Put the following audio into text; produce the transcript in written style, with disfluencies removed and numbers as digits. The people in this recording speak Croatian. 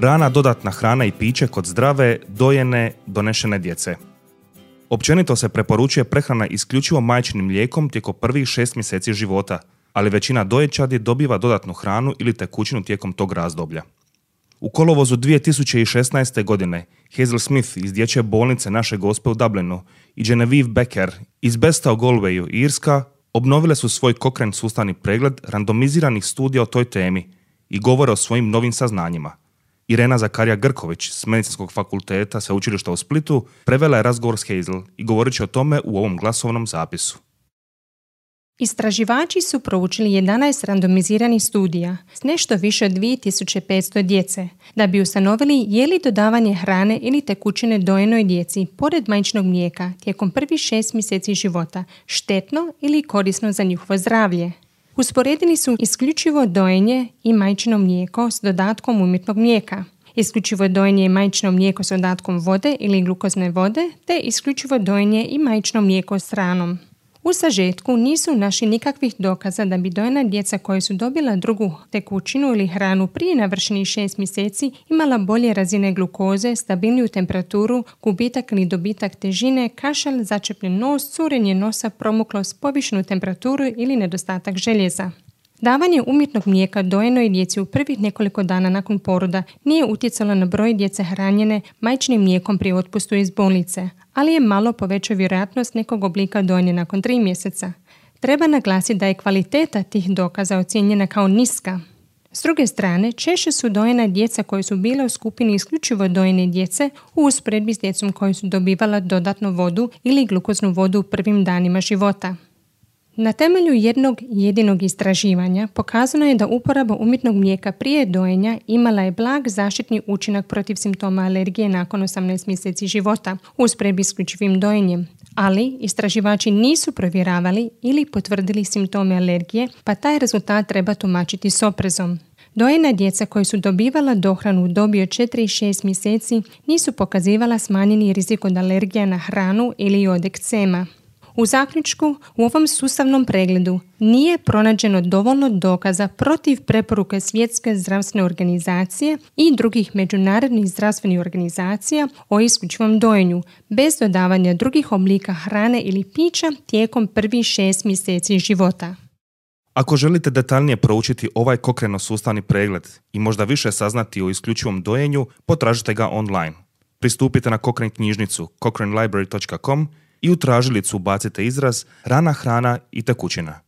Rana dodatna hrana i piće kod zdrave, dojene, donešene djece. Općenito se preporučuje prehrana isključivo majčinim mlijekom tijekom prvih 6 mjeseci života, ali većina doječadi dobiva dodatnu hranu ili tekućinu tijekom tog razdoblja. U kolovozu 2016. godine Hazel Smith iz dječje bolnice Naše Gospe u Dublinu i Genevieve Becker iz Besta u Galwayu, Irska, obnovile su svoj Cochrane sustavni pregled randomiziranih studija o toj temi i govore o svojim novim saznanjima. Irena Zakarija Grković s Medicinskog fakulteta Sveučilišta u Splitu prevela je razgovor s Hazel i govorit će o tome u ovom glasovnom zapisu. Istraživači su proučili 11 randomiziranih studija s nešto više od 2500 djece da bi ustanovili je li dodavanje hrane ili tekućine dojenoj djeci pored majčinog mlijeka tijekom prvih 6 mjeseci života štetno ili korisno za njihovo zdravlje. Usporedili su isključivo dojenje i majčino mlijeko s dodatkom umjetnog mlijeka, isključivo dojenje i majčino mlijeko s dodatkom vode ili glukozne vode, te isključivo dojenje i majčino mlijeko s hranom. U sažetku nisu našli nikakvih dokaza da bi dojena djeca koja su dobila drugu tekućinu ili hranu prije navršenih 6 mjeseci imala bolje razine glukoze, stabilniju temperaturu, gubitak ili dobitak težine, kašalj, začepljen nos, curenje nosa, promuklost, povišenu temperaturu ili nedostatak željeza. Davanje umjetnog mlijeka dojenoj djeci u prvih nekoliko dana nakon poroda nije utjecalo na broj djece hranjene majčinim mlijekom pri otpustu iz bolnice, ali je malo povećao vjerojatnost nekog oblika dojenja nakon 3 mjeseca. Treba naglasiti da je kvaliteta tih dokaza ocijenjena kao niska. S druge strane, češće su dojena djeca koje su bile u skupini isključivo dojene djece u usporedbi s djecom koji su dobivala dodatnu vodu ili glukoznu vodu u prvim danima života. Na temelju jednog jedinog istraživanja pokazano je da uporaba umjetnog mlijeka prije dojenja imala je blag zaštitni učinak protiv simptoma alergije nakon 18 mjeseci života u usporedbi s isključivim dojenjem, ali istraživači nisu provjeravali ili potvrdili simptome alergije, pa taj rezultat treba tumačiti s oprezom. Dojena djeca koji su dobivala dohranu u dobi od 4 i 6 mjeseci nisu pokazivala smanjeni rizik od alergija na hranu ili od ekcema. U zaključku, u ovom sustavnom pregledu nije pronađeno dovoljno dokaza protiv preporuke Svjetske zdravstvene organizacije i drugih međunarodnih zdravstvenih organizacija o isključivom dojenju, bez dodavanja drugih oblika hrane ili pića tijekom prvih 6 mjeseci života. Ako želite detaljnije proučiti ovaj Cochrane sustavni pregled i možda više saznati o isključivom dojenju, potražite ga online. Pristupite na Cochrane knjižnicu cochranelibrary.com i u tražilicu ubacite izraz rana hrana i tekućina.